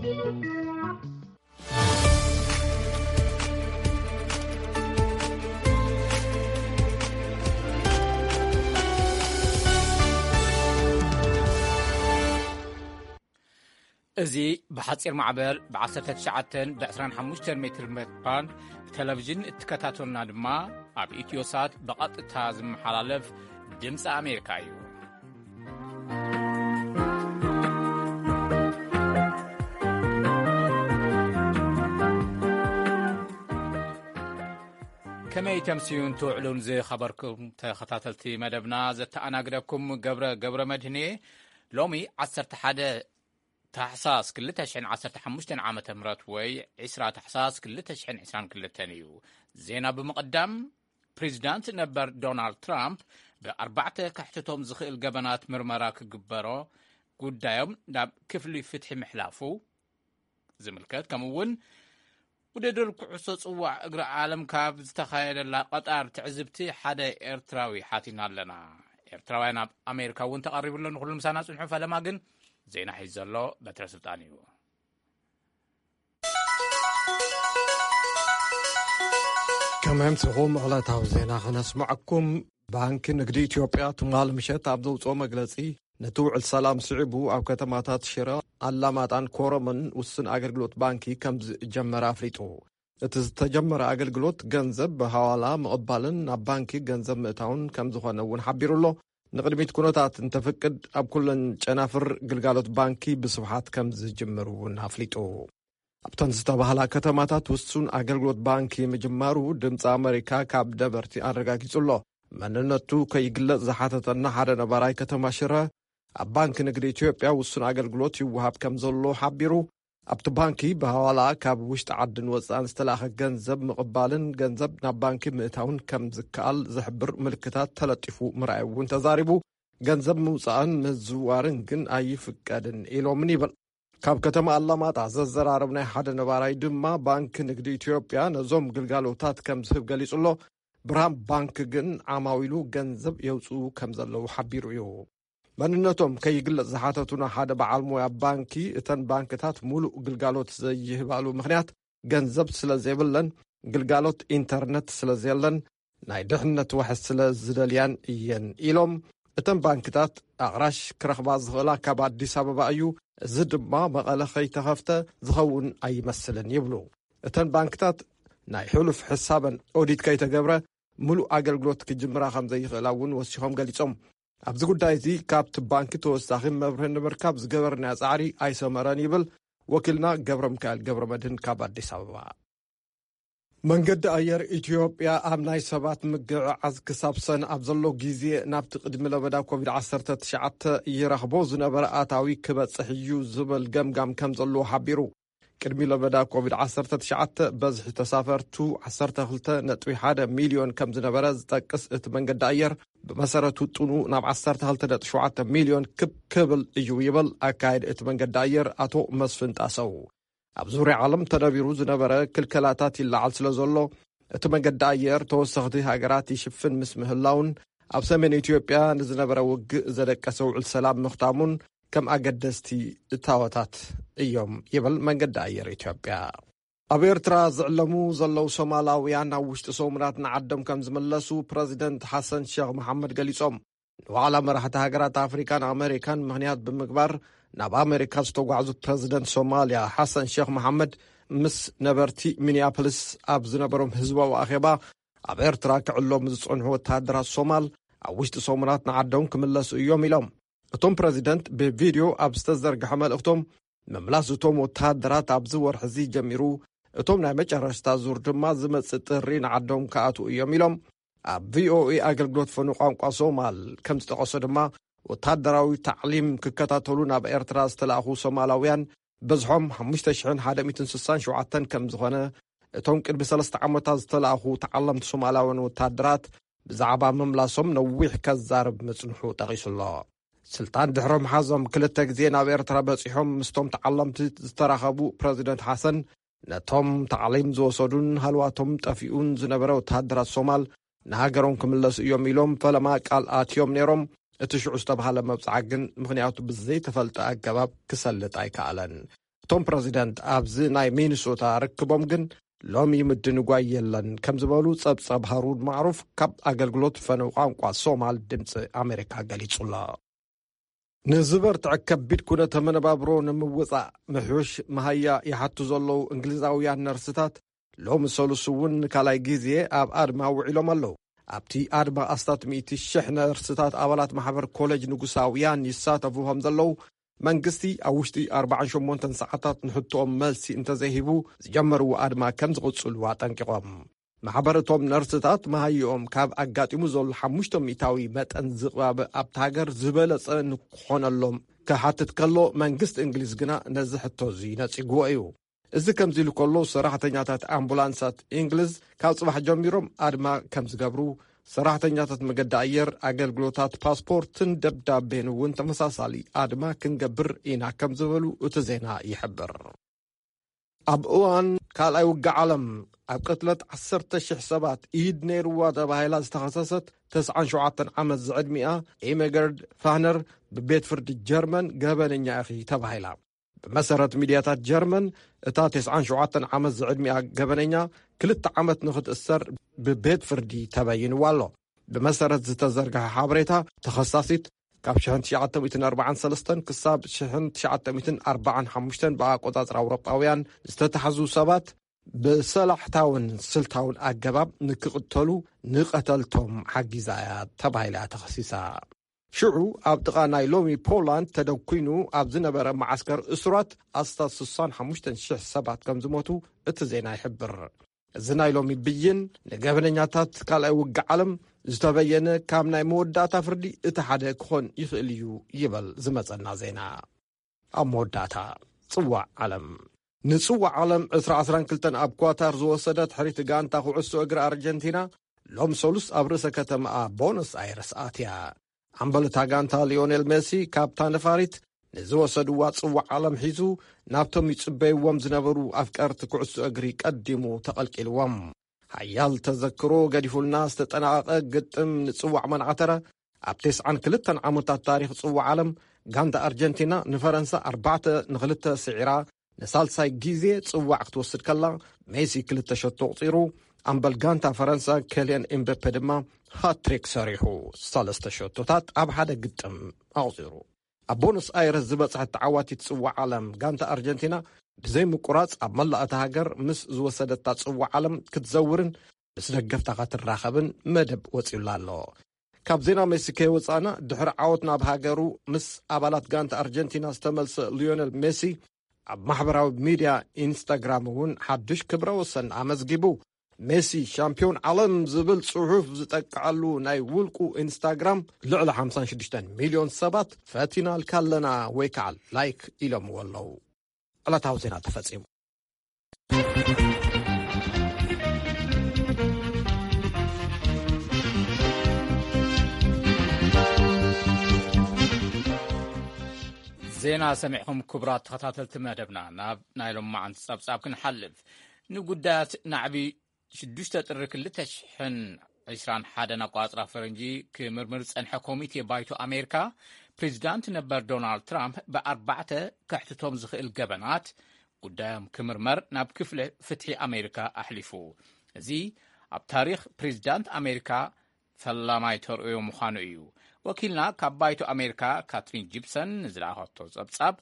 እዚ ብሓጺር ማዕበል ብ19፣ ብ25 ሜትር ባንድ ብቴሌቪዥን እትከታተሉና ድማ ኣብ ኢትዮሳት ብቐጥታ ዝመሓላለፍ ድምፂ ኣሜሪካ እዩ። ከመይ ተምስዩን ትውዕሉን ዝኸበርኩም ተኸታተልቲ መደብና፣ ዘተኣናግደኩም ገብረ፣ ገብረ መድህን እየ። ሎሚ 11 ታሕሳስ 2015 ዓመተ ምህረት ወይ 20 ታሕሳስ 2022 እዩ። ዜና ብምቕዳም፣ ፕሬዚዳንት ነበር ዶናልድ ትራምፕ ብኣርባዕተ ከሕትቶም ዝኽእል ገበናት ምርመራ ክግበሮ ጉዳዮም ናብ ክፍሊ ፍትሒ ምሕላፉ ዝምልከት፣ ከምኡ እውን ውድድር ኩዕሶ ጽዋዕ እግሪ ዓለም ካብ ዝተኻየደላ ቀጣር ትዕዝብቲ ሓደ ኤርትራዊ ሓቲና ኣለና። ኤርትራውያን ኣብ ኣሜሪካ እውን ተቐሪቡ ኣሎ። ንኹሉ ምሳና ጽንሑ። ፈለማ ግን ዜና ሒዙ ዘሎ በትረ ስልጣን እዩ። ከመምስኹም ዕለታዊ ዜና ክነስምዐኩም። ባንኪ ንግዲ ኢትዮጵያ ትማል ምሸት ኣብ ዘውፅኦ መግለፂ፣ ነቲ ውዕል ሰላም ስዒቡ ኣብ ከተማታት ሽረ፣ ኣላማጣን ኮረምን ውሱን ኣገልግሎት ባንኪ ከም ዝጀመረ ኣፍሊጡ። እቲ ዝተጀመረ ኣገልግሎት ገንዘብ ብሃዋላ ምቕባልን ናብ ባንኪ ገንዘብ ምእታውን ከም ዝኾነ እውን ሓቢሩ ኣሎ። ንቕድሚት ኩነታት እንተፍቅድ፣ ኣብ ኩለን ጨናፍር ግልጋሎት ባንኪ ብስፍሓት ከም ዝጅምር እውን ኣፍሊጡ። ኣብተን ዝተባህላ ከተማታት ውሱን ኣገልግሎት ባንኪ ምጅማሩ ድምፂ ኣመሪካ ካብ ነበርቲ ኣረጋጊጹ ኣሎ። መንነቱ ከይግለጽ ዝሓተተና ሓደ ነባራይ ከተማ ሽረ፣ ኣብ ባንኪ ንግዲ ኢትዮጵያ ውሱን ኣገልግሎት ይወሃብ ከም ዘሎ ሓቢሩ፣ ኣብቲ ባንኪ ብሃዋላ ካብ ውሽጢ ዓድን ወጻእን ዝተላእኸ ገንዘብ ምቕባልን ገንዘብ ናብ ባንኪ ምእታውን ከም ዝከኣል ዝሕብር ምልክታት ተለጢፉ ምርኣዩ እውን ተዛሪቡ። ገንዘብ ምውጻእን ምዝዋርን ግን ኣይፍቀድን ኢሎምን ይብል። ካብ ከተማ ኣላማጣ ዘዘራረብናይ ሓደ ነባራይ ድማ፣ ባንኪ ንግዲ ኢትዮጵያ ነዞም ግልጋሎታት ከም ዝህብ ገሊጹ ኣሎ። ብርሃን ባንክ ግን ዓማዊሉ ገንዘብ የውጽኡ ከም ዘለዉ ሓቢሩ እዩ። መንነቶም ከይግለጽ ዝሓተቱና ሓደ በዓል ሞያ ባንኪ፣ እተን ባንክታት ሙሉእ ግልጋሎት ዘይህባሉ ምኽንያት፣ ገንዘብ ስለ ዘይብለን፣ ግልጋሎት ኢንተርነት ስለ ዘየለን፣ ናይ ድሕነት ዋሕስ ስለ ዝደልያን እየን ኢሎም። እተን ባንክታት ኣቕራሽ ክረኽባ ዝኽእላ ካብ ኣዲስ ኣበባ እዩ። እዚ ድማ መቐለ ከይተኸፍተ ዝኸውን ኣይመስልን ይብሉ። እተን ባንክታት ናይ ሕሉፍ ሕሳበን ኦዲት ከይተገብረ፣ ምሉእ ኣገልግሎት ክጅምራ ከም ዘይኽእላ እውን ወሲኾም ገሊጾም። ኣብዚ ጉዳይ እዚ ካብቲ ባንኪ ተወሳኺ መብርሂ ንምርካብ ዝገበርናዮ ጻዕሪ ኣይሰመረን ይብል ወኪልና ገብረ ሚካኤል ገብረ መድህን ካብ ኣዲስ ኣበባ። መንገዲ ኣየር ኢትዮጵያ ኣብ ናይ ሰባት ምግዕዓዝ ክሳብ ሰን ኣብ ዘሎ ግዜ፣ ናብቲ ቅድሚ ለበዳ ኮቪድ-19 ይረኽቦ ዝነበረ ኣታዊ ክበጽሕ እዩ ዝብል ገምጋም ከም ዘለዎ ሓቢሩ። ቅድሚ ለበዳ ኮቪድ-19 በዝሒ ተሳፈርቱ 12.1 ሚልዮን ከም ዝነበረ ዝጠቅስ እቲ መንገዲ ኣየር፣ ብመሰረት ውጥኑ ናብ 12.7 ሚልዮን ክብ ክብል እዩ ይብል ኣካየዲ እቲ መንገዲ ኣየር ኣቶ መስፍን ጣሰው። ኣብ ዙርያ ዓለም ተነቢሩ ዝነበረ ክልከላታት ይለዓል ስለ ዘሎ፣ እቲ መንገዲ ኣየር ተወሰኽቲ ሃገራት ይሽፍን ምስ ምህላውን፣ ኣብ ሰሜን ኢትዮጵያ ንዝነበረ ውግእ ዘደቀሰ ውዕል ሰላም ምኽታሙን ከም ኣገደስቲ እታወታት እዮም ይብል መንገዲ ኣየር ኢትዮጵያ። ኣብ ኤርትራ ዝዕለሙ ዘለዉ ሶማላውያን፣ ኣብ ውሽጢ ሰሙናት ንዓዶም ከም ዝምለሱ ፕረዚደንት ሓሰን ሸኽ መሓመድ ገሊጾም። ንዋዕላ መራሕቲ ሃገራት ኣፍሪካን ኣመሪካን ምኽንያት ብምግባር፣ ናብ ኣመሪካ ዝተጓዕዙ ፕረዚደንት ሶማልያ ሓሰን ሸኽ መሓመድ፣ ምስ ነበርቲ ሚኒያፖሊስ ኣብ ዝነበሮም ህዝባዊ ኣኼባ፣ ኣብ ኤርትራ ክዕለሙ ዝጸንሑ ወተሃደራት ሶማል፣ ኣብ ውሽጢ ሰሙናት ንዓዶም ክምለሱ እዮም ኢሎም። እቶም ፕረዚደንት ብቪድዮ ኣብ ዝተዘርግሐ መልእኽቶም፣ ምምላስ እቶም ወተሃደራት ኣብዚ ወርሒ እዚ ጀሚሩ፣ እቶም ናይ መጨረሽታ ዙር ድማ ዝመጽእ ጥሪ ንዓዶም ክኣትዉ እዮም ኢሎም። ኣብ ቪኦኤ ኣገልግሎት ፈኑ ቋንቋ ሶማል ከም ዝጠቐሶ ድማ፣ ወተሃደራዊ ታዕሊም ክከታተሉ ናብ ኤርትራ ዝተላእኹ ሶማላውያን ብዝሖም ሓሙሽተ ሽሕን ሓደ ሚእትን ስሳን ሸውዓተን ከም ዝኾነ፣ እቶም ቅድሚ ሰለስተ ዓመታት ዝተላእኹ ተዓለምቲ ሶማላውያን ወተሃደራት ብዛዕባ ምምላሶም ነዊሕ ከዛርብ ምጽንሑ ጠቒሱ ኣሎ። ስልጣን ድሕሮም ሓዞም ክልተ ግዜ ናብ ኤርትራ በጺሖም ምስቶም ተዓለምቲ ዝተራኸቡ ፕረዚደንት ሓሰን፣ ነቶም ታዕሊም ዝወሰዱን ሃልዋቶም ጠፊኡን ዝነበረ ወተሃደራት ሶማል ንሃገሮም ክምለሱ እዮም ኢሎም ፈለማ ቃል ኣትዮም ነይሮም። እቲ ሽዑ ዝተባህለ መብጽዓ ግን ምኽንያቱ ብዘይተፈልጠ ኣገባብ ክሰልጥ ኣይከኣለን። እቲ እቶም ፕረዚደንት ኣብዚ ናይ ሚኒሶታ ርክቦም ግን ሎሚ ምድንጓይ የለን ከም ዝበሉ ጸብጻብ ሃሩን ማዕሩፍ ካብ ኣገልግሎት ፈነው ቋንቋ ሶማል ድምፂ ኣሜሪካ ገሊጹ ኣሎ። ንዝበርትዐ ከቢድ ኩነተ መነባብሮ ንምውጻእ ምሕሽ መሃያ ይሓቱ ዘለዉ እንግሊዛውያን ነርስታት ሎሚ ሰሉስ እውን ንካልኣይ ግዜ ኣብ ኣድማ ውዒሎም ኣለዉ። ኣብቲ ኣድማ ኣስታት ሚእቲ ሽሕ ነርስታት ኣባላት ማሕበር ኮሌጅ ንጉሳውያን ይሳተፉ ከም ዘለዉ መንግስቲ ኣብ ውሽጢ ኣርባዓን ሸሞንተን ሰዓታት ንሕቶኦም መልሲ እንተዘይሂቡ ዝጀመርዎ ኣድማ ከም ዝቕጽሉ ኣጠንቂቖም። ማሕበር እቶም ነርስታት መሃይኦም ካብ ኣጋጢሙ ዘሎ ሓሙሽተ ሚእታዊ መጠን ዝቕባብ ኣብቲ ሃገር ዝበለጸ ንክኾነሎም ክሓትት ከሎ መንግስቲ እንግሊዝ ግና ነዚ ሕቶ እዚ ነጺግዎ እዩ። እዚ ከምዚ ኢሉ ከሎ ሰራሕተኛታት ኣምቡላንሳት እንግሊዝ ካብ ጽባሕ ጀሚሮም ኣድማ ከም ዝገብሩ ሰራሕተኛታት መገዲ ኣየር ኣገልግሎታት ፓስፖርትን ደብዳቤን እውን ተመሳሳሊ ኣድማ ክንገብር ኢና ከም ዝበሉ እቲ ዜና ይሕብር። ኣብ እዋን ካልኣይ ውግእ ዓለም ኣብ ቅትለት ዓሰርተ ሽሕ ሰባት ኢድ ነይርዋ ተባሂላ ዝተኸሰሰት ተስዓን ሸውዓተን ዓመት ዝዕድሚኣ ኢሜገርድ ፋህነር ብቤት ፍርዲ ጀርመን ገበነኛ ኢኺ ተባሂላ። ብመሰረት ሚድያታት ጀርመን እታ ተስዓን ሸውዓተን ዓመት ዝዕድሚኣ ገበነኛ ክልተ ዓመት ንኽትእሰር ብቤት ፍርዲ ተበይንዋ ኣሎ። ብመሰረት ዝተዘርግሐ ሓበሬታ ተኸሳሲት ካብ ሽሕን ትሽዓተ ሚእትን ኣርባዓን ሰለስተን ክሳብ ሽሕን ትሽዓተ ሚእትን ኣርባዓን ሓሙሽተን ብኣቆጻጽራ ኣውሮጳውያን ዝተታሕዙ ሰባት ብሰላሕታውን ስልታውን ኣገባብ ንክቕተሉ ንቐተልቶም ሓጊዛ እያ ተባሂላ ተኸሲሳ። ሽዑ ኣብ ጥቓ ናይ ሎሚ ፖላንድ ተደኩይኑ ኣብ ዝነበረ መዓስከር እሱራት ኣስታት ስሳን ሓሙሽተን ሽሕ ሰባት ከም ዝሞቱ እቲ ዜና ይሕብር። እዚ ናይ ሎሚ ብይን ንገበነኛታት ካልኣይ ውግእ ዓለም ዝተበየነ ካብ ናይ መወዳእታ ፍርዲ እቲ ሓደ ክኾን ይኽእል እዩ ይበል ዝመጸና ዜና። ኣብ መወዳእታ ጽዋዕ ዓለም። ንጽዋዕ ዓለም ዕስራ ዓሰርተ ክልተ ኣብ ኳታር ዝወሰደት ሕሪት ጋንታ ኩዕሶ እግሪ ኣርጀንቲና ሎም ሰሉስ ኣብ ርእሰ ከተማኣ ቦነስ ኣይረስ ኣትያ። ኣምበል እታ ጋንታ ሊዮኔል ሜሲ ካብታ ነፋሪት ንዝወሰድዋ ጽዋዕ ዓለም ሒዙ ናብቶም ይጽበይዎም ዝነበሩ ኣፍቀርቲ ኩዕሶ እግሪ ቀዲሙ ተቐልቂልዎም። ሓያል ተዘክሮ ገዲፉልና ዝተጠናቐቐ ግጥም ንጽዋዕ መናዕተረ ኣብ ተስዓን ክልተን ዓመታት ታሪኽ ጽዋዕ ዓለም ጋንታ ኣርጀንቲና ንፈረንሳ ኣርባዕተ ንክልተ ስዒራ ንሳልሳይ ግዜ ጽዋዕ ክትወስድ ከላ ሜሲ ክልተ ሸቶ ኣቑጺሩ ኣምበል ጋንታ ፈረንሳ ኬልያን ኤምበፔ ድማ ሃትሪክ ሰሪሑ ሰለስተ ሸቶታት ኣብ ሓደ ግጥም ኣቑጺሩ። ኣብ ቦኖስ ኣይረስ ዝበጽሐት ተዓዋቲት ጽዋዕ ዓለም ጋንታ ኣርጀንቲና ብዘይ ምቁራጽ ኣብ መላእ እታ ሃገር ምስ ዝወሰደታ ጽዋዕ ዓለም ክትዘውርን ምስ ደገፍታ ክትራኸብን መደብ ወጺኡላ ኣሎ። ካብ ዜና ሜሲ ከይወጻእና ድሕሪ ዓወት ናብ ሃገሩ ምስ ኣባላት ጋንታ ኣርጀንቲና ዝተመልሰ ሊዮነል ሜሲ ኣብ ማሕበራዊ ሚድያ ኢንስታግራም እውን ሓዱሽ ክብረ ወሰን ኣመዝጊቡ። ሜሲ ሻምፒዮን ዓለም ዝብል ጽሑፍ ዝጠቅዐሉ ናይ ውልቁ ኢንስታግራም ልዕሊ ሓምሳን ሽዱሽተን ሚልዮን ሰባት ፈቲናልካ ኣለና ወይ ከዓ ላይክ ኢሎምዎ ኣለዉ። ዕለታዊ ዜና ተፈጺሙ። ዜና ሰሚዕኹም ክቡራት ተኸታተልቲ መደብና ናብ ናይ ሎማዓንቲ ጸብጻብ ክንሓልፍ ንጉዳያት ናዕቢ ሽዱሽተ ጥሪ ክልተ ሽሕን ዕስራን ሓደን ኣቋጽራ ፈረንጂ ክምርምር ዝጸንሐ ኮሚቴ ባይቶ ኣሜሪካ ፕሬዚዳንት ነበር ዶናልድ ትራምፕ ብኣርባዕተ ከሕትቶም ዝኽእል ገበናት ጉዳዮም ክምርመር ናብ ክፍሊ ፍትሒ ኣሜሪካ ኣሕሊፉ። እዚ ኣብ ታሪኽ ፕሬዚዳንት ኣሜሪካ ፈላማይ ተርእዮ ምዃኑ እዩ። ወኪልና ካብ ባይቶ ኣሜሪካ ካትሪን ጂፕሰን ንዝለኣኸቶ ጸብጻብ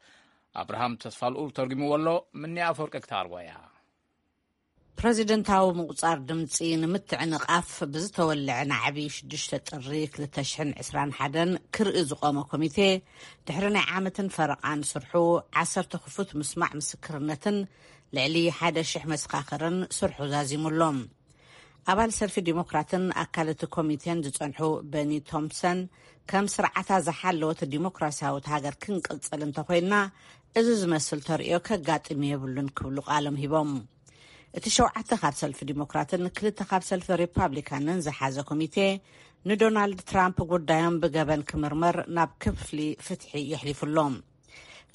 ኣብርሃም ተስፋልኡል ተርጉምዎ ኣሎ። ምንያ ኣፈወርቂ ክተቕርቦ እያ። ፕረዚደንታዊ ምቁጻር ድምጺ ንምትዕንቓፍ ብዝተወልዐ ናዕቢ ሽዱሽተ ጥሪ ክልተ ሽሕን ዕስራን ሓደን ክርኢ ዝቆመ ኮሚቴ ድሕሪ ናይ ዓመትን ፈረቓን ስርሑ ዓሰርተ ክፉት ምስማዕ ምስክርነትን ልዕሊ ሓደ ሽሕ መሰኻኽርን ስርሑ ዛዚሙ ኣሎ። ኣባል ሰልፊ ዲሞክራትን ኣካል እቲ ኮሚቴን ዝጸንሑ በኒ ቶምፕሰን ከም ስርዓታ ዝሓለወት ዲሞክራሲያዊት ሃገር ክንቅጽል እንተኾይንና እዚ ዝመስል ተርእዮ ከጋጥም የብሉን ክብሉ ቃሎም ሂቦም። እቲ ሸውዓተ ካብ ሰልፊ ዲሞክራትን ክልተ ካብ ሰልፊ ሪፓብሊካንን ዝሓዘ ኮሚቴ ንዶናልድ ትራምፕ ጉዳዮም ብገበን ክምርመር ናብ ክፍሊ ፍትሒ የሕሊፉ ኣሎ።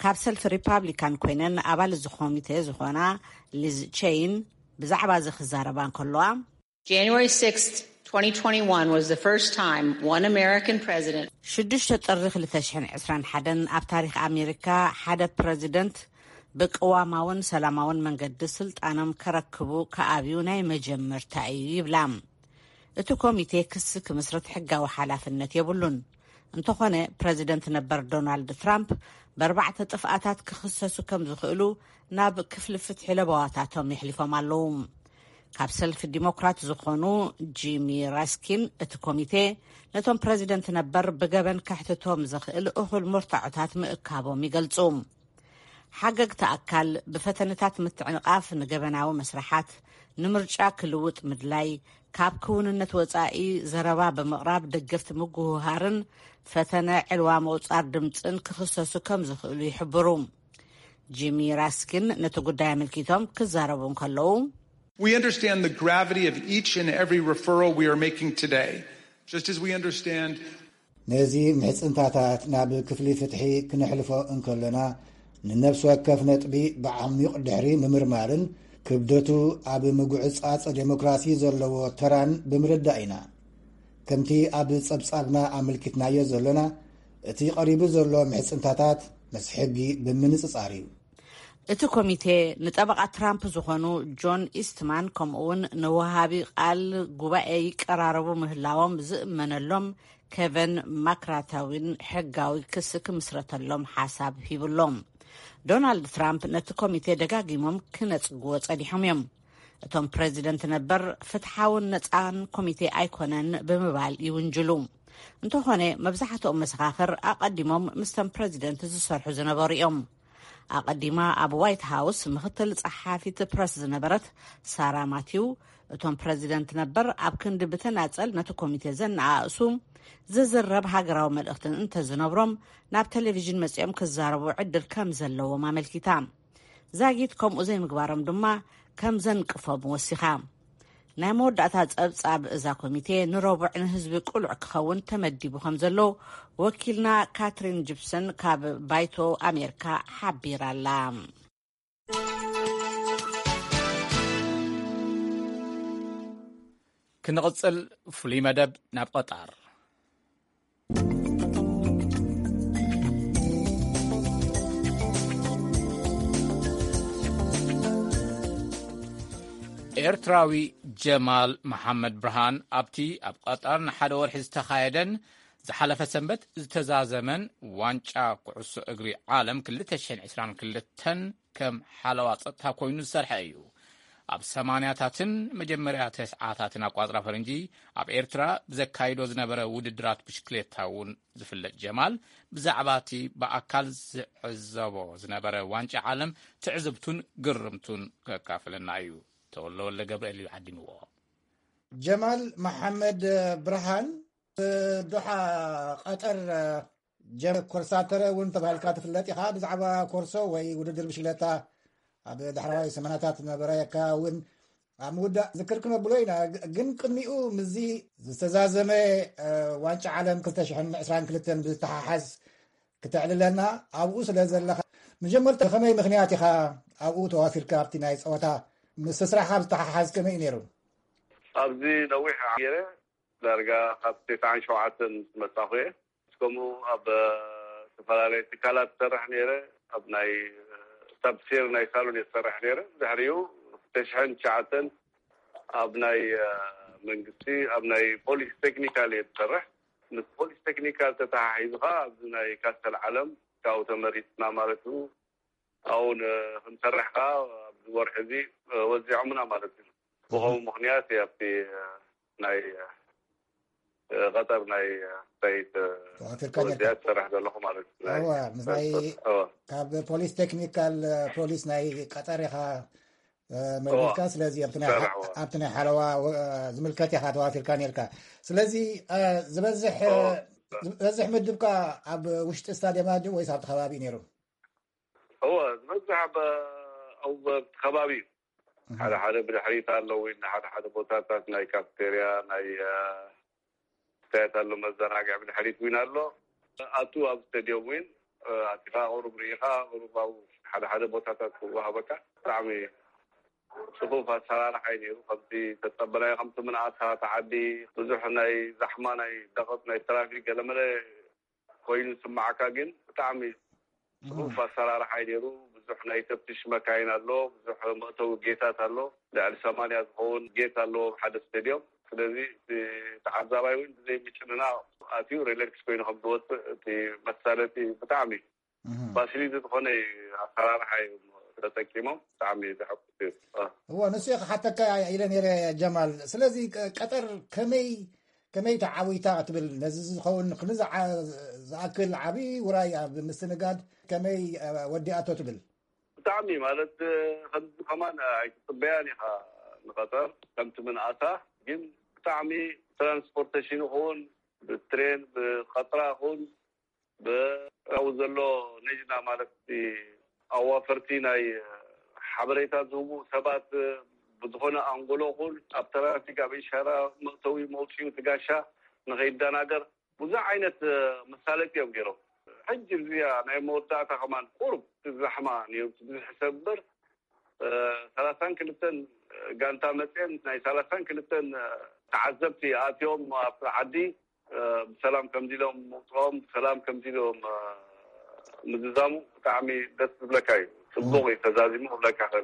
ካብ ሰልፊ ሪፓብሊካን ኮይነን ኣባል እዚ ኮሚቴ ዝኾና ሊዝ ቼይን ብዛዕባ እዚ ክዛረባ እንከለዋ January sixth, twenty twenty-one was the first time one American president ሽዱሽተ ጥሪ ክልተ ሽሕን ዕስራን ሓደን ኣብ ታሪኽ ኣሜሪካ ሓደ ፕረዚደንት ብቅዋማውን ሰላማውን መንገዲ ስልጣኖም ከረክቡ ከኣብዩ ናይ መጀመርታ እዩ ይብላ። እቲ ኮሚቴ ክሲ ክምስርት ሕጋዊ ሓላፍነት የብሉን። እንተኾነ፣ ፕረዚደንት ነበር ዶናልድ ትራምፕ ብኣርባዕተ ጥፍኣታት ክኽሰሱ ከም ዝኽእሉ ናብ ክፍሊ ፍትሒ ለበዋታቶም የሕሊፎም ኣለዉ። ካብ ሰልፊ ዲሞክራት ዝኾኑ ጂሚ ራስኪን፣ እቲ ኮሚቴ ነቶም ፕረዚደንት ነበር ብገበን ከሕትቶም ዝኽእል እኹል መርትዖታት ምእካቦም ይገልጹ። ሓገግቲ ኣካል ብፈተነታት ምትዕንቓፍ ንገበናዊ መስርሓት፣ ንምርጫ ክልውጥ ምድላይ፣ ካብ ክውንነት ወጻኢ ዘረባ ብምቕራብ ደገፍቲ ምጉህሃርን ፈተነ ዕልዋ ምቑጻር ድምጽን ክኽሰሱ ከም ዝኽእሉ ይሕብሩ። ጂሚ ራስኪን ነቲ ጉዳይ ኣመልኪቶም ክዛረቡ እንከለዉ፣ We understand the gravity of each and every referral we are making today, just as we understand ነዚ ምሕጽንታታት ናብ ክፍሊ ፍትሒ ክነሕልፎ እንከለና፣ ንነፍሲ ወከፍ ነጥቢ ብዓሚቕ ድሕሪ ምምርማርን ክብደቱ ኣብ ምጉዕጻጽ ዴሞክራሲ ዘለዎ ተራን ብምርዳእ ኢና። ከምቲ ኣብ ጸብጻብና ኣመልኪትናዮ ዘሎና፣ እቲ ቀሪቡ ዘሎ ምሕጽንታታት ምስ ሕጊ ብምንጽጻር እዩ። እቲ ኮሚቴ ንጠበቓ ትራምፕ ዝኾኑ ጆን ኢስትማን፣ ከምኡውን ንወሃቢ ቃል ጉባኤ ይቀራረቡ ምህላዎም ዝእመነሎም ኬቨን ማክራታዊን ሕጋዊ ክሲ ክምስረተሎም ሓሳብ ሂብሎም። ዶናልድ ትራምፕ ነቲ ኮሚቴ ደጋጊሞም ክነጽግዎ ጸኒሖም እዮም። እቶም ፕረዚደንት ነበር ፍትሓውን ነጻን ኮሚቴ ኣይኮነን ብምባል ይውንጅሉ። እንተኾነ፣ መብዛሕትኦም መሰኻኽር ኣቐዲሞም ምስተን ፕረዚደንት ዝሰርሑ ዝነበሩ እዮም። ኣቐዲማ ኣብ ዋይት ሃውስ ምኽትል ጸሓፊት ፕረስ ዝነበረት ሳራ ማቲው፣ እቶም ፕረዚደንት ነበር ኣብ ክንዲ ብተናጸል ነቲ ኮሚቴ ዘነኣእሱ፣ ዝዝረብ ሃገራዊ መልእኽትን እንተዝነብሮም፣ ናብ ቴሌቪዥን መጺኦም ክዛረቡ ዕድል ከም ዘለዎም ኣመልኪታ። ዛጊት ከምኡ ዘይምግባሮም ድማ ከም ዘንቅፎም ወሲኻ። ናይ መወዳእታ ጸብጻብ እዛ ኮሚቴ ንረቡዕ ንህዝቢ ቅሉዕ ክኸውን ተመዲቡ ከም ዘሎ ወኪልና ካትሪን ጂፕሰን ካብ ባይቶ ኣሜሪካ ሓቢራ ኣላ። ክንቕጽል፣ ፍሉይ መደብ ናብ ቐጣር። ኤርትራዊ ጀማል መሓመድ ብርሃን ኣብቲ ኣብ ቐጣር ንሓደ ወርሒ ዝተኻየደን ዝሓለፈ ሰንበት ዝተዛዘመን ዋንጫ ኩዕሶ እግሪ ዓለም ክልተ ሽሕን ዕስራን ክልተን ከም ሓለዋ ጸጥታ ኮይኑ ዝሰርሐ እዩ። ኣብ ሰማንያታትን መጀመርያ ተስዓታትን ኣቋጽራ ፈረንጂ ኣብ ኤርትራ ብዘካይዶ ዝነበረ ውድድራት ብሽክሌታ እውን ዝፍለጥ ጀማል፣ ብዛዕባ እቲ ብኣካል ዝዕዘቦ ዝነበረ ዋንጫ ዓለም ትዕዝብቱን ግርምቱን ከካፍለና እዩ። ተወልደ ወልደ ገብርኤል እዩ ዓዲምዎ። ጀማል መሓመድ ብርሃን፣ ዶሓ ቐጠር ጀ-፣ ኮርሳተረ እውን ተባሂልካ ትፍለጥ ኢኻ። ብዛዕባ ኮርሶ ወይ ውድድር ብሽክለታ ኣብ ዳሕረዋይ ሰማንያታት ዝነበረካ እውን ኣብ ምውዳእ ዝክር ክነብሎ ኢና። ግ-፣ ግን ቅድሚኡ ምስዚ ዝተዛዘመ፣ እ፣ ዋንጫ ዓለም ክልተ ሽሕን ዕስራን ክልተን ብዝተሓሓዝ ክተዕልለና ኣብኡ ስለ ዘለኻ፣ መጀመርታ ብኸመይ ምኽንያት ኢኻ ኣብኡ ተዋፊርካ? ኣብቲ ናይ ጸወታ ምስ ስራሕኻ ብዝተሓሓዝ ከመይ እዩ ነይሩ? ኣብዚ ነዊሕ ገይረ፣ ዳርጋ ካብ ተስዓን ሸውዓተን ምስ መጻኹ እየ። ከምኡ ኣብ፣ እ፣ ዝተፈላለየ ትካላት ዝሰርሕ ነይረ። ኣብ ናይ፣ እ፣ ሳብሴር ናይ ሳሎን እየ ዝሰርሕ ነይረ። ድሕሪኡ ክልተ ሽሕን ትሽዓተን ኣብ ናይ፣ እ፣ መንግስቲ፣ ኣብ ናይ ፖሊስ ቴክኒካል እየ ዝሰርሕ። ምስ ፖሊስ ቴክኒካል ተተሓሒዙ ኸዓ ኣብዚ ናይ ካስተል ዓለም ካብኡ ተመሪጽና ማለት እዩ። ኣብኡ ን-፣ ክንሰርሕ ከኣ ኣብዚ ወርሒ እዚ፣ እ፣ ወዚዖምና ማለት እዩ። ብኸምኡ ምኽንያት እየ ኣብቲ፣ እ፣ ናይ፣ እ፣ ቐጠር ናይ፣ እ፣ ሳይት፣ እ፣ ተዋፊርካ ወዚኣ ኔርካ። ዝሰርሕ ዘለኹ ማለት እዩ። ናይ እወ፣ ምስ ናይ ስፖርት፣ እወ። ካብ ፖሊስ ቴክኒካል፣ እ፣ ፖሊስ ናይ ቀጠር ኢኻ፣ እ፣ መርቢልካ። እወ። ስለዚ ኣብቲ ናይ ሓ-፣ ዝሰርሕ፣ እወ። ኣብቲ ናይ ሓለዋ፣ እ፣ ዝምልከት ኢኻ ተዋፊርካ ኔርካ። ስለዚ፣ እ፣ ዝበዝሕ፣ እ፣ እወ። ዝበዝሕ ምድብካ ኣብ ውሽጢ ስታድየም ድዩ ወይስ ኣብቲ ከባቢ ነይሩ? እወ፣ ዝበዝሕ ኣብ፣ ኣብ ከባቢ እዩ። እህ። ሓደ ሓደ ብድሕሪት ኣለዉ፣ ሓደ ሓደ ቦታታት ናይ ካፍቴርያ፣ ናይ፣ እ፣ ስታያት ኣሎ፣ መዘናግዒ ብድሕሪት እውን ኣሎ። ኣቱ ኣብ ስቴድዮም እውን፣ እ፣ ኣቲኻ ቁሩብ ርኢኻ፣ ቁሩብ ኣብ ሓደ ሓደ ቦታታት ክወሃበካ። ብጣዕሚ ጽፉፍ ኣሰራርሓ እዩ ነይሩ። ከምቲ ተጸበናዮ፣ ከምቲ ምንኣስካ እቲ ዓዲ ብዙሕ ናይ ዛሕማ፣ ናይ ደቐት፣ ናይ ትራፊክ ገለመለ ኮይኑ ዝስማዓካ፣ ግን ብጣዕሚ እም። ጽፉፍ ኣሰራርሓ እዩ ነይሩ። ብዙሕ ናይ ተፍትሽ መካይን ኣሎ፣ ብዙሕ መእተዊ ጌታት ኣሎ። ልዕሊ ሰማንያ ዝኸውን ጌት ኣለዎም ሓደ ስቴድዮም። ስለዚ እቲ ተዓዛባይ እውን ብዘይ ምጭንናቕ ኣትዩ ሪላክስ ኮይኑ ከም ዝወፅእ እቲ መሳለጢ ብጣዕሚ ፋሲሊቲ ዝኾነ ኣሰራርሓ እዮም ተጠቂሞም። ብጣዕሚ ዘሐጉስ እዩ። እዎ፣ ንሱ እየ ክሓተካ ኢለ ነይረ ጀማል። ስለዚ ቀጠር ከመይ ከመይ ተዓዊታ ትብል? ነዚ ዝኸውን ክንዚ ዝኣክል ዓብዪ ውራይ ኣብ ምስትንጋድ ከመይ ወዲኣቶ ትብል? ብጣዕሚ ማለት ከምዚ ከማን ኣይትፅበያን ኢኻ ንቐጠር ከምቲ ምንኣሳ። ግን ብጣዕሚ ትራንስፖርቴሽን ይኹን ብትሬን ብቐጥራ ይኹን ብኣው ዘሎ ነጅና ማለት ኣዋፈርቲ ናይ ሓበሬታ ዝህቡ ሰባት ብዝኾነ ኣንጎሎ ይኹን ኣብ ትራፊክ ኣብ ኢሻራ መእተዊ መውፅኡ ትጋሻ ንኸይደናገር ብዙሕ ዓይነት መሳለጢ እዮም ገይሮም። ሕጂ እዚኣ ናይ መወዳእታ ከማን ቁሩብ ዛሕማ ነይሩ ብዙሕ ሰብ እምበር ሰላሳን ክልተን ጋንታ መፅአን ናይ ሰላሳን ክልተን ተዓዘብቲ ኣትዮም ኣብ ዓዲ ብሰላም ከምዚ ኢሎም ምውፅኦም ብሰላም ከምዚ ኢሎም ምዝዛሙ ብጣዕሚ ደስ ዝብለካ እዩ። ፅቡቅ እዩ ተዛዚሙ ክብለካ ከ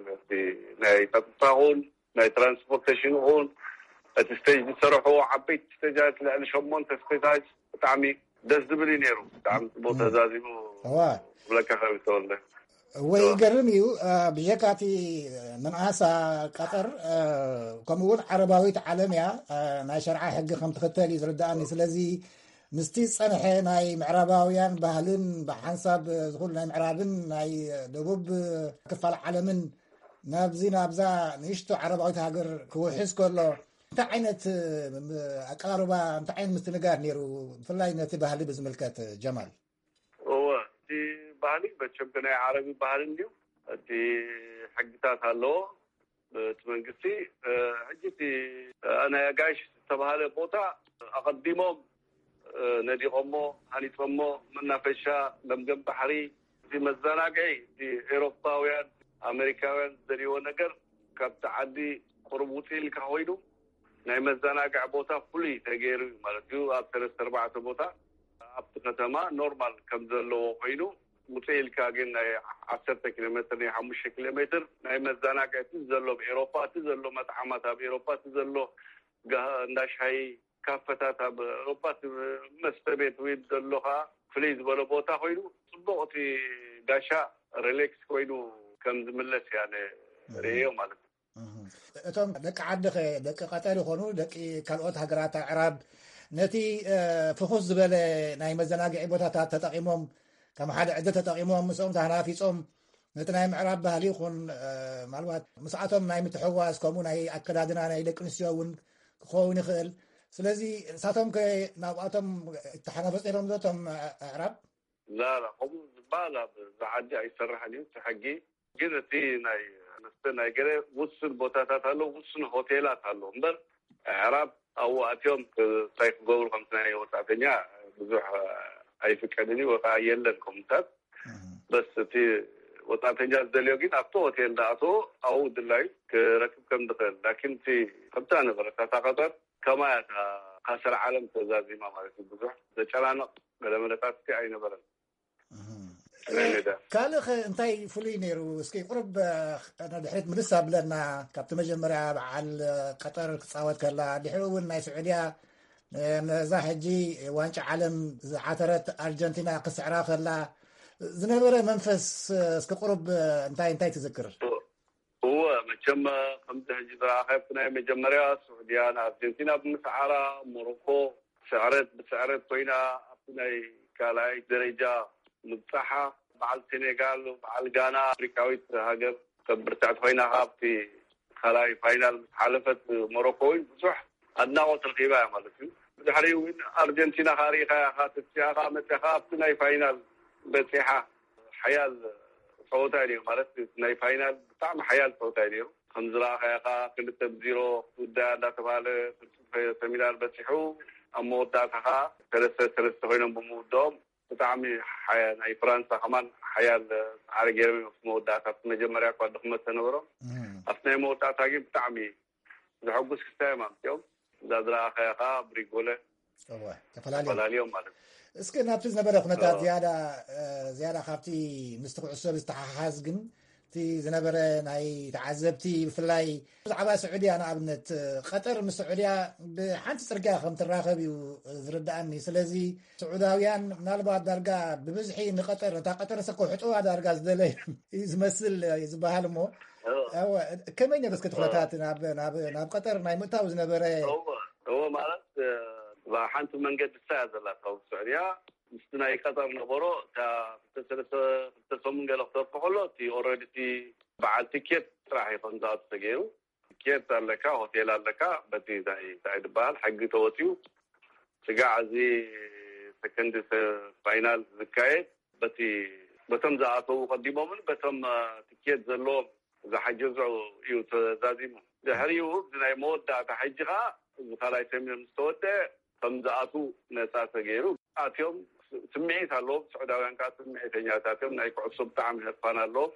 ናይ ፀጥታ ኹን ናይ ትራንስፖርቴሽን ኹን እቲ ስቴጅ ዝሰርሑ ዓበይቲ ስቴጃት ልዕሊ ሸሞንተ ስቴጃት ብጣዕሚ ደስ ዝብል እዩ ነይሩ። ብጣዕሚ ፅቡቅ ተዛዚሙ ክብለካ ከ ተወልደ ወይ ይገርም እዩ። ብጀካ እቲ ምንኣሳ ቀጠር ከምኡ እውን ዓረባዊት ዓለም እያ፣ ናይ ሸርዓ ሕጊ ከም ትኽተል እዩ ዝርድኣኒ። ስለዚ ምስቲ ዝፀንሐ ናይ ምዕራባውያን ባህልን ብሓንሳብ ዝኹሉ ናይ ምዕራብን ናይ ደቡብ ክፋል ዓለምን ናብዚ ናብዛ ንእሽቶ ዓረባዊት ሃገር ክውሕዝ ከሎ እንታይ ዓይነት ኣቀራርባ እንታይ ዓይነት ምስትንጋር ነይሩ? ብፍላይ ነቲ ባህሊ ብዝምልከት ጀማል። እወ እቲ ባህሊ መቸም ናይ ዓረቢ ባህሊ እንድዩ። እቲ ሕግታት ኣለዎ እቲ መንግስቲ። ሕጂ እቲ ናይ ኣጋይሽ ዝተባሃለ ቦታ ኣቐዲሞም ነዲቖሞ ሃኒፆሞ መናፈሻ ለምገም ባሕሪ እቲ መዘናግዒ እቲ ኤሮፓውያን ኣሜሪካውያን ዝደልይዎ ነገር ካብቲ ዓዲ ቁሩብ ውፅእ ኢልካ ኮይኑ ናይ መዘናግዒ ቦታ ፍሉይ ተገይሩ እዩ ማለት እዩ። ኣብ ሰለስተ ኣርባዕተ ቦታ ኣብቲ ከተማ ኖርማል ከም ዘለዎ ኮይኑ ውፅእ ኢልካ ግን ናይ ዓሰርተ ኪሎ ሜትር ናይ ሓሙሽተ ኪሎ ሜትር ናይ መዘናግዒ እቲ ዘሎ ኣብ ኤሮፓ እቲ ዘሎ መጥዓማት ኣብ ኤሮፓ እቲ ዘሎ እንዳ ሻሂ ካፈታት ኣብ ኤሮፓ እቲ መስተ ቤት ወይ ዘሎ ከዓ ፍልይ ዝበለ ቦታ ኮይኑ ፅቡቅ እቲ ጋሻ ሪሌክስ ኮይኑ ከም ዝምለስ እያ ርእዮ ማለት እዩ። እቶም ደቂ ዓድኸ ደቂ ቀጠር ይኾኑ ደቂ ካልኦት ሃገራት ኣዕራብ ነቲ ፍኹስ ዝበለ ናይ መዘናግዒ ቦታታት ተጠቒሞም ከም ሓደ ዕድል ተጠቒሞም ምስኦም ተሃናፊፆም ነቲ ናይ ምዕራብ ባህሊ ይኹን ምናልባት ምስኣቶም ናይ ምትሕዋስ ከምኡ ናይ ኣከዳድና ናይ ደቂ ኣንስትዮ እውን ክኸውን ይኽእል። ስለዚ ንሳቶም ከ ናብኣቶም ይተሓናፈፁ ነይሮም ዶ እቶም ኣዕራብ? ላላ ከምኡ ዝበሃል ኣብ ዝዓዲ ኣይሰርሕን እዩ እቲ ሕጊ። ግን እቲ ናይ መስተ ናይ ገለ ውሱን ቦታታት ኣሎ፣ ውሱን ሆቴላት ኣሎ እምበር ኣዕራብ ኣብኡ ኣትዮም እንታይ ክገብሩ ከምቲ ናይ ወፃእተኛ ብዙሕ ኣይፍቀድን እዩ ወይ ከዓ የለን ከምኡታት። በስ እቲ ወፃእተኛ ዝደልዮ ግን ኣብቲ ሆቴል ዳኣተዎ ኣብኡ ድላዩ ክረክብ ከም ዝኽእል ላኪን እቲ ከምታ ነበረት እታ ቀጠር ከማያ እታ ካሰል ዓለም ተዛዚማ ማለት እዩ። ብዙሕ ዘጨናነቕ ገለመለታት እቲ ኣይነበረን። ካልእ እንታይ ፍሉይ ነይሩ? እስኪ ቁሩብ ንድሕሪት ምልስ ኣብለና። ካብቲ መጀመርያ በዓል ቀጠር ክፃወት ከላ ድሕሪ እውን ናይ ስዑድያ ነዛ ሕጂ ዋንጫ ዓለም ዝዓተረት ኣርጀንቲና ክስዕራ ከላ ዝነበረ መንፈስ እስኪ ቁሩብ እንታይ እንታይ ትዝክር? እወ መቸም ከምዚ ሕጂ ዝረኣኸ ኣብቲ ናይ መጀመርያ ስዑድያ ንኣርጀንቲና ብምስዓራ ሞሮኮ ስዕረት ብስዕረት ኮይና ኣብቲ ናይ ካልኣይ ደረጃ ምብፃሓ በዓል ሴኔጋል በዓል ጋና ኣፍሪካዊት ሃገር ከም ብርትዕቲ ኮይና ካብቲ ካልኣይ ፋይናል ምስ ሓለፈት ሞሮኮ እውን ብዙሕ ኣድናቆት ረኪባ እያ ማለት እዩ። ብድሕሪኡ እውን ኣርጀንቲና ከዓ ርኢኻያ ከዓ ተስፊኣ ከዓ መፅያ ከዓ ኣብቲ ናይ ፋይናል በፂሓ ሓያል ፀወታ እዩ ነይሩ ማለት ናይ ፋይናል ብጣዕሚ ሓያል ፀወታ እዩ ነይሩ። ከም ዝረኣኻያ ከዓ ክልተ ብዚሮ ክትውዳእ እንዳተባሃለ ፍልፍል ሰሚናር በፂሑ ኣብ መወዳእታ ከዓ ሰለስተ ሰለስተ ኮይኖም ብምውድኦም ብጣዕሚ ናይ ፍራንሳ ከማን ሓያል ፃዕሪ ገይሮም እዮም። መወዳእታ መጀመርያ እኳ ድኽመት ተነበሮም ኣብቲ ናይ መወዳእታ ግን ብጣዕሚ ዘሐጉስ ክስታይ እዮም ኣምፅኦም። እዛ ዝረኣኻያ ከዓ ብሪጎለ ተፈላልዮም ማለት እዩ። እስኪ ናብቲ ዝነበረ ኩነታት ዝያዳ ዝያዳ ካብቲ ምስቲ ኩዕሶ ዝተሓሓዝ ግን እቲ ዝነበረ ናይ ተዓዘብቲ፣ ብፍላይ ብዛዕባ ስዑድያ ንኣብነት፣ ቀጠር ምስ ስዑድያ ብሓንቲ ጽርግያ ከም ትራኸብ እዩ ዝርድኣኒ። ስለዚ ስዑዳውያን ምናልባት ዳርጋ ብብዝሒ ንቀጠር፣ እታ ቀጠር ሰኮ ሕጥዋ ዳርጋ ዝደለዩ እዩ ዝመስል ዝበሃል እሞ፣ ከመይ ነብስከ ትኩነታት ናብ ናብ ቀጠር ናይ ምእታው ዝነበረ? እዎ ማለት ሓንቲ መንገዲ ሳያ ዘላ ካብ ስዑድያ ምስቲ ናይ ቀጠር ነበሮ እታ ክልተ ሰሙን ገለ ክተርፎ ከሎ እቲ ኦረዲ እቲ በዓል ትኬት ጥራሕ ይኾን ዝኣቱ ተገይሩ። ትኬት ኣለካ፣ ሆቴል ኣለካ፣ በቲ እንታይ ዝበሃል ሕጊ ተወፅዩ ስጋዕ እዚ ሰከንድ ፋይናል ዝካየድ በቲ በቶም ዝኣተዉ ቀዲሞምን በቶም ትኬት ዘለዎም ዝሓገዙ እዩ ተዛዚሙ። ድሕሪኡ እዚ ናይ መወዳእታ ሕጂ ከዓ እዚ ካልኣይ ሰሚር ምስ ተወደ ከም ዝኣትዉ ነፃ ተገይሩ። ኣትዮም ስምዒት ኣለዎም። ስዑዳውያን ከዓ ስምዒተኛታት እዮም። ናይ ኩዕሶ ብጣዕሚ ህርፋን ኣለዎም።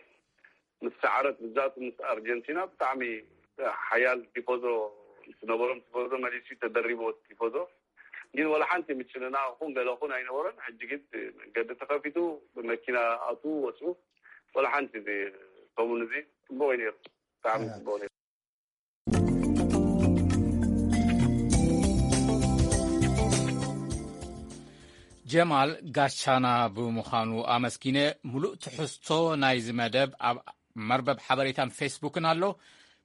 ምስ ሰዓረት ብዛት ምስ ኣርጀንቲና ብጣዕሚ ሓያል ቲፎዞ ዝነበሮም ቲፎዞ መሊሱ ተደሪቦ ቲፎዞ ግን ወላ ሓንቲ ምጭንናቕ ኹን ገለ ኹን ኣይነበሮን። ሕጂ ግን መንገዲ ተኸፊቱ ብመኪና ኣትዉ ወፅኡ ወላ ሓንቲ እዚ ሰሙን እዚ ፅቡቕ እዩ ነይሩ። ብጣዕሚ ፅቡቕ ነይሩ። ጀማል ጋሻና ብምዃኑ ኣመስጊነ። ሙሉእ ትሕዝቶ ናይዚ መደብ ኣብ መርበብ ሓበሬታን ፌስቡክን ኣሎ፣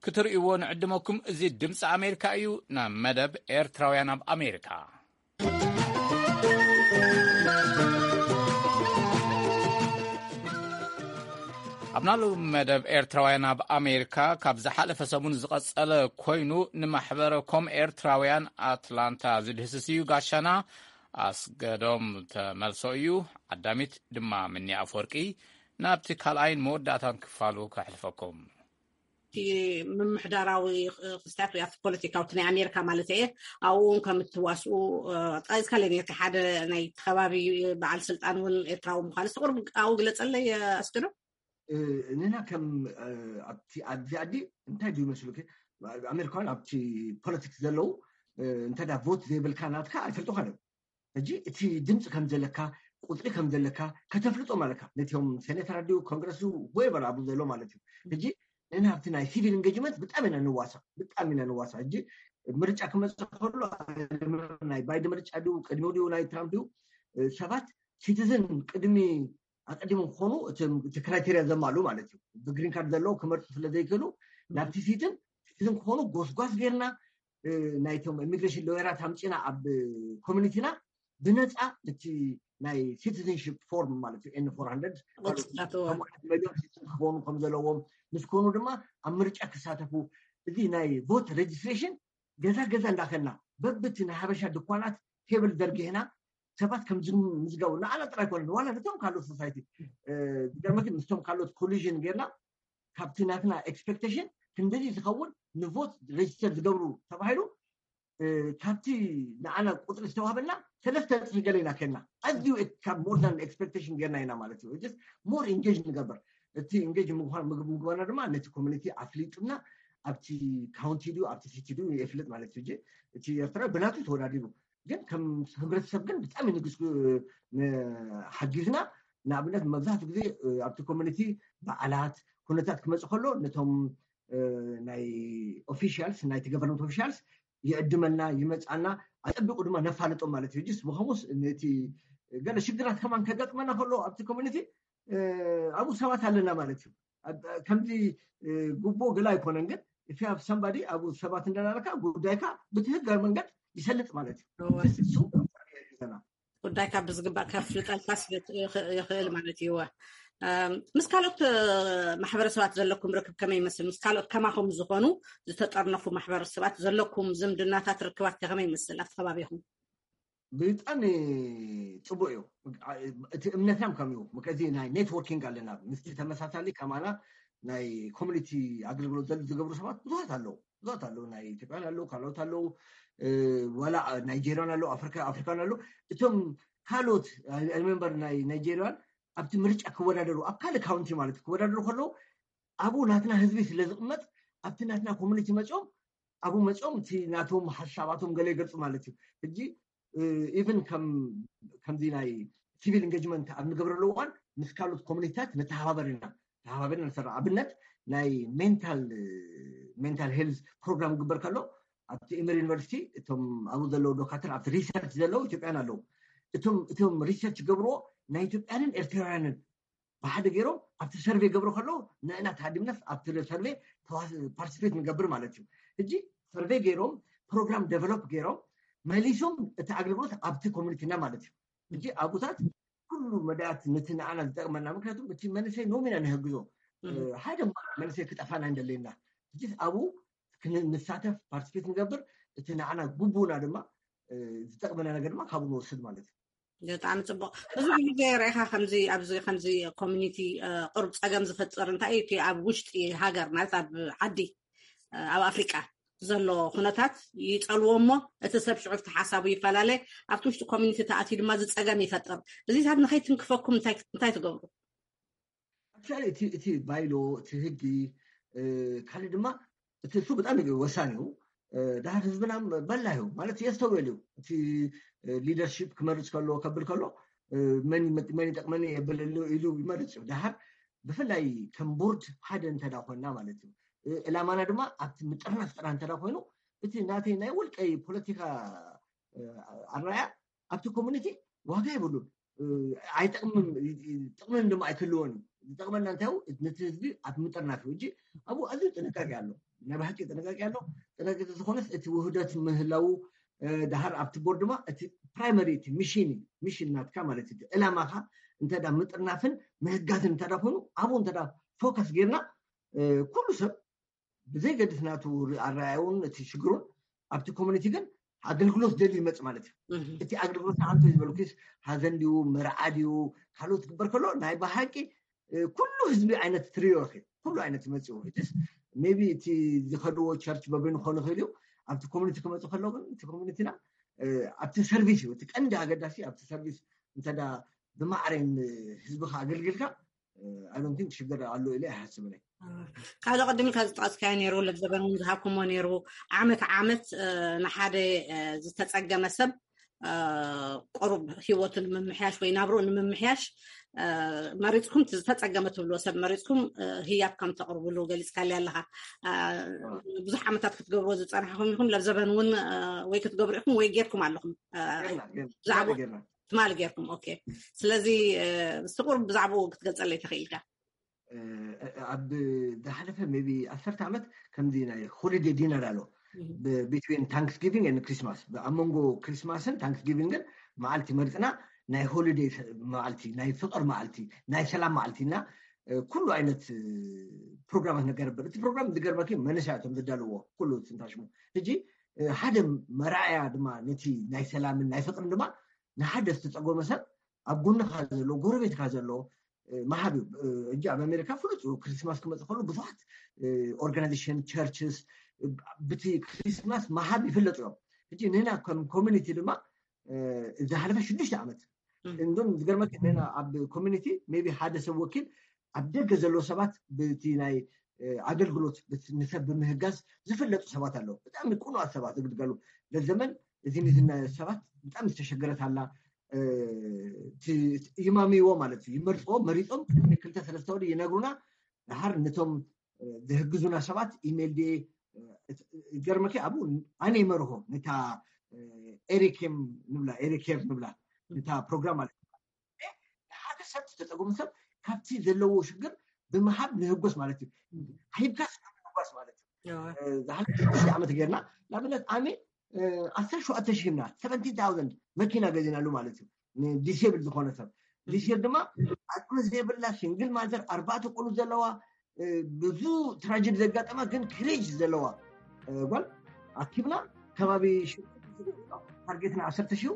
ክትርእይዎ ንዕድመኩም። እዚ ድምፂ ኣሜሪካ እዩ። ናብ መደብ ኤርትራውያን ኣብ ኣሜሪካ። ኣብ ናሉ መደብ ኤርትራውያን ኣብ ኣሜሪካ ካብ ዝሓለፈ ሰሙን ዝቐጸለ ኮይኑ፣ ንማሕበረ ኮም ኤርትራውያን ኣትላንታ ዝድህስስ እዩ። ጋሻና ኣስገዶም ተመልሶ እዩ። ዓዳሚት ድማ ምኒ ኣፈወርቂ ናብቲ ካልኣይን መወዳእታን ክፋሉ ከሕልፈኩም። ምምሕዳራዊ ክስታት ወይ ኣብቲ ፖለቲካዊ ናይ ኣሜሪካ ማለት እየ። ኣብኡ እውን ከም እትዋስኡ ጠቂስካለይ ነርካ። ሓደ ናይ ከባቢ በዓል ስልጣን እውን ኤርትራዊ ምዃኑ እስቲ ቁሩብ ኣብኡ ግለፀለይ ኣስገዶም። ንና ከም ኣብዚ ዓዲ እንታይ ድዩ መስሉኪ? ኣሜሪካውያን ኣብቲ ፖለቲክስ ዘለዉ እንታይ ዳ ቮት ዘይብልካ ናትካ ኣይፈልጡኻን እዮም። ሕጂ እቲ ድምፂ ከም ዘለካ፣ ቁፅሪ ከም ዘለካ ከተፍልጦም ኣለካ ነቲኦም ሴኔተር ድዩ ኮንግረስ ድዩ whoever ኣብኡ ዘሎ ማለት እዩ። ሕጂ ንና ኣብቲ ናይ ሲቪል ኢንጌጅመንት ብጣዕሚ ኢና ንዋሳእ ብጣዕሚ ኢና ንዋሳእ። ሕጂ ምርጫ ክመፅእ ከሎ ናይ ባይደን ምርጫ ድዩ ቅድሚኡ ድዩ ናይ ትራምፕ ድዩ ሰባት ሲቲዝን ቅድሚ ኣቀዲሞም ክኾኑ እቲ ክራይቴርያ ዘማልኡ ማለት እዩ። ብግሪን ካርድ ዘለዉ ክመርፁ ስለ ዘይክእሉ ናብቲ ሲቲዝን ክኾኑ ጎስጓስ ጌርና ናይቶም ኢሚግሬሽን ሎየራት ኣምፂና ኣብ ኮሚኒቲና ብነፃ እቲ ናይ ሲቲዝንሽፕ ፎርም ማለት እዩ ኤን ፎር ሃንድረድ መሊዮን ሲቲዝን ክኾኑ ከም ዘለዎም ምስ ኮኑ ድማ ኣብ ምርጫ ክሳተፉ እዚ ናይ ቮት ሬጅስትሬሽን ገዛ ገዛ እንዳኸና በብቲ ናይ ሓበሻ ድኳናት ቴብል ዘርጊሕና ሰባት ከም ዝምዝገቡ ንዓና ጥራይ ኮነ ዋላ ነቶም ካልኦት ሶሳይቲ ዝገርመኪ ምስቶም ካልኦት ኮሊዥን ጌርና ካብቲ ናትና ኤክስፔክቴሽን ክንደዚ ዝኸውን ንቮት ሬጅስተር ዝገብሩ ተባሂሉ ካብቲ ንዓና ቁፅሪ ዝተዋህበና ሰለስተ እፅፊ ገለ ኢና ከና ኣዝዩ ካብ more than expectation ጌርና ኢና ማለት እዩ። ሞር ኢንጌጅ ንገበር እቲ ኢንጌጅ ምግባና ድማ ነቲ ኮሚኒቲ ኣፍሊጥና ኣብቲ ካውንቲ ድዩ ኣብቲ ሲቲ ድዩ የፍልጥ ማለት እዩ። እቲ ኤርትራ ብናቱ ተወዳዲሩ ግን ከም ህብረተሰብ ግን ብጣዕሚ ንግስ ሓጊዝና ንኣብነት መብዛሕትኡ ግዜ ኣብቲ ኮሚኒቲ በዓላት ኩነታት ክመፅእ ከሎ ነቶም ናይ ኦፊሻልስ ናይቲ ገቨርንመንት ኦፊሻልስ ይዕድመና ይመፃና ኣፀቢቁ ድማ ነፋልጦም ማለት እዩ። ጅስ ብኸሙስ ነቲ ገለ ሽግራት ከማን ከጋጥመና ከሎ ኣብቲ ኮሚኒቲ ኣብኡ ሰባት ኣለና ማለት እዩ። ከምዚ ጉቦ ገላ ኣይኮነን ግን if you have somebody ኣብኡ ሰባት እንዳላለካ ጉዳይካ ብትህጋዊ መንገድ ይሰልጥ ማለት እዩ። ጉዳይካ ብዝግባእ ከፍልጠልካ ይኽእል ማለት እዩ። ምስ ካልኦት ማሕበረሰባት ዘለኩም ርክብ ከመይ ይመስል? ምስ ካልኦት ከማኹም ዝኾኑ ዝተጠርነፉ ማሕበረሰባት ዘለኩም ዝምድናታት ርክባት ከመይ ይመስል ኣብቲ ከባቢኹም? ብጣዕሚ ፅቡቅ እዩ። እቲ እምነትና ከም እዩ ምከዚ ናይ ኔትወርኪንግ ኣለና ምስቲ ተመሳሳሊ ከማና ናይ ኮሚኒቲ ኣገልግሎት ዘሉ ዝገብሩ ሰባት ብዙሃት ኣለዉ። ብዙሃት ኣለዉ ናይ ኢትዮጵያን ኣለዉ ካልኦት ኣለዉ ዋላ ናይጀሪያን ኣለዉ ኣፍሪካን ኣለዉ እቶም ካልኦት ሪመምበር ናይ ናይጀሪያን ኣብቲ ምርጫ ክወዳደሩ ኣብ ካልእ ካውንቲ ማለት ክወዳደሩ ከለዉ ኣብኡ ናትና ህዝቢ ስለ ዝቕመጥ ኣብቲ ናትና ኮሚኒቲ መፅኦም ኣብኡ መፅኦም እቲ ናቶም ሓሳባቶም ገለ ይገልፁ ማለት እዩ። ሕጂ ኢቨን ከምዚ ናይ ሲቪል ኢንጌጅመንት ኣብ ንገብረሉ እዋን ምስ ካልኦት ኮሚኒቲታት ንተሓባበር ኢና። ተሓባበርና ንሰርሕ። ኣብነት ናይ ሜንታል ሜንታል ሄልዝ ፕሮግራም ግበር ከሎ ኣብቲ ኢመር ዩኒቨርሲቲ እቶም ኣብኡ ዘለዉ ዶካተር ኣብቲ ሪሰርች ዘለዉ ኢትዮጵያን ኣለዉ። እቶም እቶም ሪሰርች ገብርዎ ናይ ኢትዮጵያንን ኤርትራውያንን ብሓደ ገይሮም ኣብቲ ሰርቬ ገብሮ ከለዉ ንእና ተሃዲምናስ ኣብቲ ሰርቬ ፓርቲስፔት ንገብር ማለት እዩ። ሕጂ ሰርቬ ገይሮም ፕሮግራም ዴቨሎፕ ገይሮም መሊሶም እቲ ኣገልግሎት ኣብቲ ኮሚኒቲና ማለት እዩ። ሕጂ ኣብኡታት ኩሉ መዳያት ነቲ ንዓና ዝጠቅመና፣ ምክንያቱም እቲ መንእሰይ ኖም ኢና ንህግዞ። ሓደ መንእሰይ ክጠፋና እንደለና ሕጂ ኣብኡ ንሳተፍ ፓርቲስፔት ንገብር፣ እቲ ንዓና ግቡና ድማ ዝጠቅመና ነገር ድማ ካብኡ ንወስድ ማለት እዩ። ብጣዕሚ ፅቡቅ። ብዙሕ ግዜ ርኢኻ ከምዚ ኣብዚ ከምዚ ኮሚኒቲ ቅሩብ ፀገም ዝፈጥር እንታይ እዩ? እቲ ኣብ ውሽጢ ሃገር ማለት ኣብ ዓዲ ኣብ ኣፍሪቃ ዘሎ ኩነታት ይፀልዎ እሞ እቲ ሰብ ሽዑ ሓሳቡ ይፈላለ፣ ኣብቲ ውሽጢ ኮሚኒቲ ተኣትዩ ድማ ዝፀገም ይፈጥር። እዚታት ንኸይትንክፈኩም እንታይ ትገብሩ? ኣክቹዋሊ እቲ ባይሎ እቲ ህጊ ካልእ ድማ እቲ እሱ ብጣዕሚ ወሳኒ እዩ። ድሓር ህዝብና በላ እዩ ማለት የስተውዕል እዩ። እቲ ሊደርሺፕ ክመርፅ ከሎ ከብል ከሎ መን ይጠቅመኒ የብል ኢሉ ይመርፅ እዩ። ድሓር ብፍላይ ከም ቦርድ ሓደ እንተዳ ኮይና ማለት እዩ። ዕላማና ድማ ኣብቲ ምጥርናፍ ጥራ እንተዳ ኮይኑ እቲ ናተይ ናይ ውልቀይ ፖለቲካ ኣራያ ኣብቲ ኮሚኒቲ ዋጋ የብሉን። ኣይጠቅምን ጥቅምን ድማ ኣይክልዎን እዩ። ዝጠቅመና እንታይ ነቲ ህዝቢ ኣብ ምጥርናፍ እዩ። እጂ ኣብኡ ኣዝዩ ጥንቃቄ ኣሎ። ናይ ብሓቂ ጥንቃቄ ኣሎ። ጥንቃቄ ዝኾነስ እቲ ውህደት ምህላው ድሃር ኣብቲ ቦርድ ድማ እቲ ፕራይመሪ እቲ ሚሽን ሚሽን ናትካ ማለት እዩ። ዕላማኻ እንተ ምጥርናፍን ምህጋትን እንተ ኮይኑ ኣብኡ እንተ ፎከስ ጌርና ኩሉ ሰብ ብዘይገድስ ናቱ ኣረኣያውን እቲ ሽግሩን ኣብቲ ኮሚኒቲ ግን ኣገልግሎት ደልዩ ይመፅ ማለት እዩ። እቲ ኣገልግሎት ንዓንተ ዝበልኩስ ሃዘን ድዩ መርዓ ድዩ ካልኦት ትግበር ከሎ ናይ ብሓቂ ኩሉ ህዝቢ ዓይነት ትሪኦ ኢ ኩሉ ዓይነት ይመፅኡ ስ ቢ እቲ ዝኸድዎ ቸርች በበይኑ ክኾኑ ይኽእል እዩ። ኣብቲ ኮሚኒቲ ክመፁ ከለዉ ግን እቲ ኮሚኒቲና ኣብቲ ሰርቪስ እዩ እቲ ቀንዲ ኣገዳሲ ኣብቲ ሰርቪስ እንተ ብማዕረን ህዝብካ ኣገልግልካ ኣይዶንቲንክ ሽግር ኣሎ ኢለ ኣይሓስብን። ካልእ ቅድሚ ካብ ዝጠቀስካዮ ነይሩ ለብዘበን እውን ዝሃብኩሞ ነይሩ ዓመት ዓመት ንሓደ ዝተፀገመ ሰብ ቁሩብ ህይወቱ ንምምሕያሽ ወይ ናብርኡ ንምምሕያሽ መሪፅኩም ዝተፀገመ ትብልዎ ሰብ መሪፅኩም ህያብ ከም ተቅርብሉ ገሊፅካልያ ኣለካ። ብዙሕ ዓመታት ክትገብርዎ ዝፀናሕኩም ኢኹም ለብዘበን እውን ወይ ክትገብሩ ኢኹም ወይ ጌርኩም ኣለኹም። ትማሊ ጌርኩም ኦኬ። ስለዚ ስቁር ብዛዕባኡ ክትገልፀለይ ተኽኢልካ? ኣብ ዝሓለፈ ቢ ዓሰርተ ዓመት ከምዚ ናይ ሆሊዴ ዲነር ኣሎ ቢትዊን ታንክስጊቪንግ ን ክሪስማስ ኣብ መንጎ ክሪስማስን ታንክስጊቪንግን መዓልቲ መርፅና ናይ ሆሊዴ መዓልቲ ናይ ፍቅር መዓልቲ ናይ ሰላም መዓልቲ እና ኩሉ ዓይነት ፕሮግራማት ነገር ነበር። እቲ ፕሮግራም ዝገርመኪ መነሻ እቶም ዝዳልዎ ኩሉ ትንታሽሙ ሕጂ ሓደ መርኣያ ድማ ነቲ ናይ ሰላምን ናይ ፍቅርን ድማ ንሓደ ዝተፀጎመ ሰብ ኣብ ጎንኻ ዘሎ ጎረቤትካ ዘሎ መሃብ እዩ። እጂ ኣብ ኣሜሪካ ፍሉጥ እዩ። ክሪስማስ ክመፅእ ከሎ ብዙሓት ኦርጋናይዜሽን ቸርችስ ብቲ ክሪስማስ መሃብ ይፍለጡ እዮም። ሕጂ ንህና ከም ኮሚኒቲ ድማ ዝሓለፈ ሽዱሽተ ዓመት እንዶም ዝገርመክ ንህና ኣብ ኮሚኒቲ ቢ ሓደ ሰብ ወኪል ኣብ ደገ ዘለዉ ሰባት ብቲ ናይ ኣገልግሎት ንሰብ ብምህጋዝ ዝፍለጡ ሰባት ኣለዉ። ብጣዕሚ ቁኑኣት ሰባት ዝግልገሉ ለዘመን እዚ ንዝና ሰባት ብጣዕሚ ዝተሸገረት ኣላ። ይማምይዎ ማለት እዩ። ይመርፅዎ መሪፆም ክልተ ሰለስተ ወዲ ይነግሩና። ድሓር ነቶም ዝህግዙና ሰባት ኢሜይል ድ ገርመኪ ኣብኡ ኣነ ይመርሆ ነታ ኤሪኬም ንብላ ኤሪኬር ንብላ ነታ ፕሮግራም ማለት ንሓደ ሰብ ዝተፀጎሙ ሰብ ካብቲ ዘለዎ ሽግር ብምሃብ ንህጎስ ማለት እዩ። ሂብካስ ንህጓስ ማለት እዩ። ዝሓለፈ ሽዱሽተ ዓመት ጌርና ንኣብነት ኣሜ ዓሰርተ ሸውዓተ ሺህ ሂብና ሰቨንቲን ታውዘንድ መኪና ገዚናሉ ማለት እዩ። ንዲሴብል ዝኾነ ሰብ ዲሴብ ድማ ኣቅሚ ዘይብላ ሲንግል ማዘር ኣርባዕተ ቆሉ ዘለዋ ብዙ ትራጀዲ ዘጋጠማ ግን ክሬጅ ዘለዋ ጓል ኣኪብና ከባቢ ታርጌትና ዓሰርተ ሺህ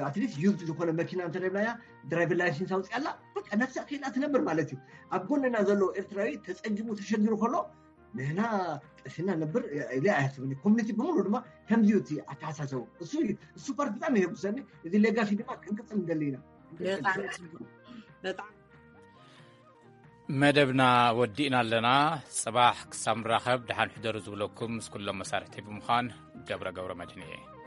ኣትሊስት ዩዝድ ዝኾነ መኪና እንተረብናያ ድራይቨር ላይሰንስ ኣውፅኣላ በቃ ነፍሳ ክኢላ ትነብር ማለት እዩ። ኣብ ጎንና ዘሎ ኤርትራዊ ተፀጊሙ ተሸጊሩ ከሎ ንህና ቀሲና ነብር ኢለ ኣያስብኒ። ኮሚኒቲ ብምሉ ድማ ከምዚ እቲ ኣተሓሳሰቡ እሱ ፓርት ብጣዕሚ የጉሰኒ። እዚ ሌጋሲ ድማ ክንቅፅል እንደሊ ኢና። መደብና ወዲእና ኣለና። ፅባሕ ክሳብ ንራኸብ ደሓን ሕደሩ ዝብለኩም ምስ ኩሎም መሳርሕቲ ብምዃን ገብረ ገብረ መድህን እየ።